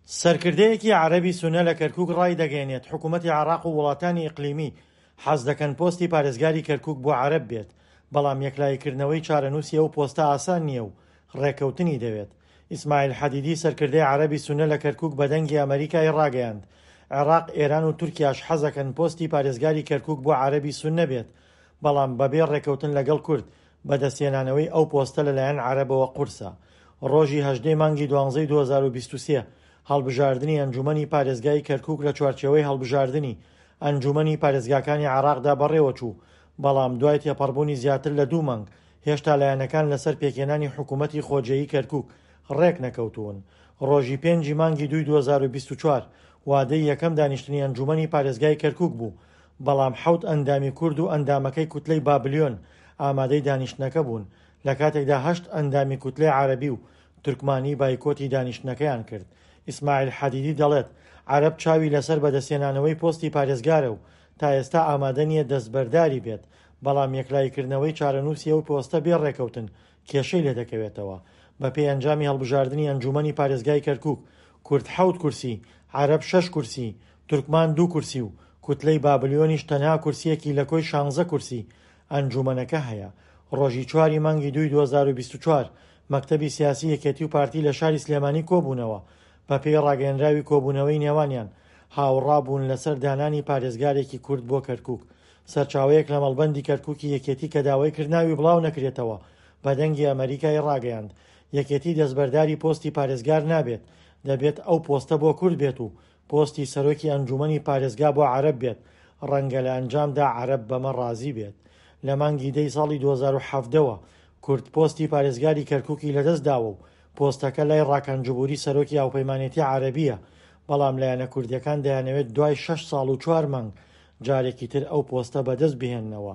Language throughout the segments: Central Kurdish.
سەرکردەیەکی عەرەبی سوننە لە کەرکوک ڕایدەگەیەنێت، حکومەتی عێراق و وڵاتانی ئیقلیمی حەز دەکەن پۆستی پارێزگاری کەرکوک بۆ عەرەب بێت، بەڵام یەکلاییکردنەوەی چارەنووسی ئەو پۆستە ئاسان نییە و ڕێککەوتنی دەوێت. ئیسماعیل حەدیدی سەرکردەی عەرەبی سوننە لە کەرکوک بە دەنگی ئەمەریکای ڕاگەیاند، عێراق، ئێران و تورکیاش حەزەکەن پۆستی پارێزگاری کەرکوک بۆ عەرەبی سوننە بێت، بەڵام بەبێ ڕێککەوتن لەگەڵ کورد بەدەستهێنانەوەی ئەو پۆستە لەلایەن عەرەبەوە قورسە. ڕۆژی 18 ی مانگی دوانزەی 2023 هەڵبژاردنی ئەنجوومەنی پارێزگای کەرکووک لە چوارچێوەی هەڵبژاردنی ئەنجوومەنی پارێزگاکانی عێراقدا بەڕێوەچوو، بەڵام دوای تێپەڕبوونی زیاتر لە دوو مانگ هێشتا لایەنەکان لەسەر پێکهێنانی حکوومەتی خۆجێیی کەرکووک ڕێکنەکەوتوون. ڕۆژی پێنجی مانگی دووی 2024 وادەی یەکەم دانیشتنی ئەنجوومەنی پارێزگای کەرکووک بوو، بەڵام حەوت ئەندامی کورد و ئەندامەکەی کوتلەی بابلیۆن ئامادەی دانیشتنەکە بوون، لە کاتێکدا هەشت ئەندامی کوتلەی عەرەبی و تورکمانی بایکۆتی دانیشتنەکەیان کرد. ئیسماعیل حەدیدی دەڵێت، عەرەب چاوی لەسەر بەدەستهێنانەوەی پۆستی پارێزگارە و تا ئێستا ئامادە نییە دەستبەرداری بێت، بەڵام یەکلاییکردنەوەی چارەنووسی ئەو پۆستە بێ ڕێکەوتن کێشەی لێدەکەوێتەوە. بەپێی ئەنجامی هەڵبژاردنی ئەنجوومەنی پارێزگای کەرکووک، کورد حەوت کورسی، عەرەب شەش کورسی، تورکمان دوو کورسی و کوتلەی بابلیۆنیش تەنها کورسییەکی لە کۆی شانزە کورسی ئەنجوومەنەکە هەیە. ڕۆژی چواری مانگی دووی 2024 مەکتەبی سیاسی یەکێتی و پارتی لە شاری سلێمانی کۆبوونەوە، بەپێی ڕاگەیەنراوی کۆبوونەوەی نێوانیان هاوڕا بوون لەسەر دانانی پارێزگارێکی کورد بۆ کەرکووک. سەرچاوەیەک لە مەڵبەندی کەرکووکی یەکێتی کە داوای کرد ناوی بڵاو نەکرێتەوە بە دەنگی ئەمەریکای ڕاگەیاند، یەکێتی دەستبەرداری پۆستی پارێزگار نابێت، دەبێت ئەو پۆستە بۆ کورد بێت و پۆستی سەرۆکی ئەنجومەنی پارێزگا بۆ عەرەب بێت، ڕەنگە لە ئەنجامدا عەرەب بەمە ڕازی بێت. لە مانگی دەی ساڵی 2017 وە کورد پۆستی پارێزگاری کەرکوکی لەدەست داوە و پۆستەکە لای ڕاکان جبوری سەرۆکی هاوپەیمانێتی عەرەبییە، بەڵام لایەنە کوردییەکان دەیانەوێت دوای شەش ساڵ و چوار مانگ جارێکی تر ئەو پۆستە بەدەست بهێننەوە.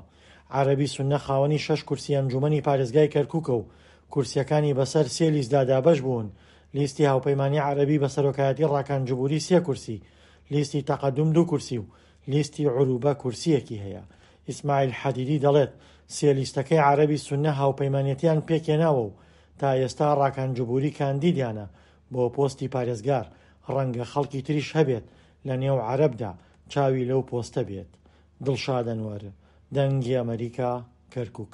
عەرەبی سوننە خاوەنی شەش کورسی ئەنجومەنی پارێزگای کەرکوکە و کورسییەکانی بەسەر سێ لیستدا دابەش بوون، لیستی هاوپەیمانی عەرەبی بە سەرۆکایەتی ڕاکان جبوری سێ کورسی، لیستی تەقەدوم دوو کورسی و لیستی عروبە کورسییەکی هەیە. ئیسماعیل حەدیدی دەڵێت، سێ لیستەکەی عەرەبی سوننە هاوپەیمانێتیان پێکهێناوە و تا ئێستا ڕاکان جبوری کاندیدیانە بۆ پۆستی پارێزگار، ڕەنگە خەڵکی تریش هەبێت لە نێو عەرەبدا چاوی لەو پۆستە بێت. دڵشاد ئەنوەر، دەنگی ئەمەریکا، کەرکوک.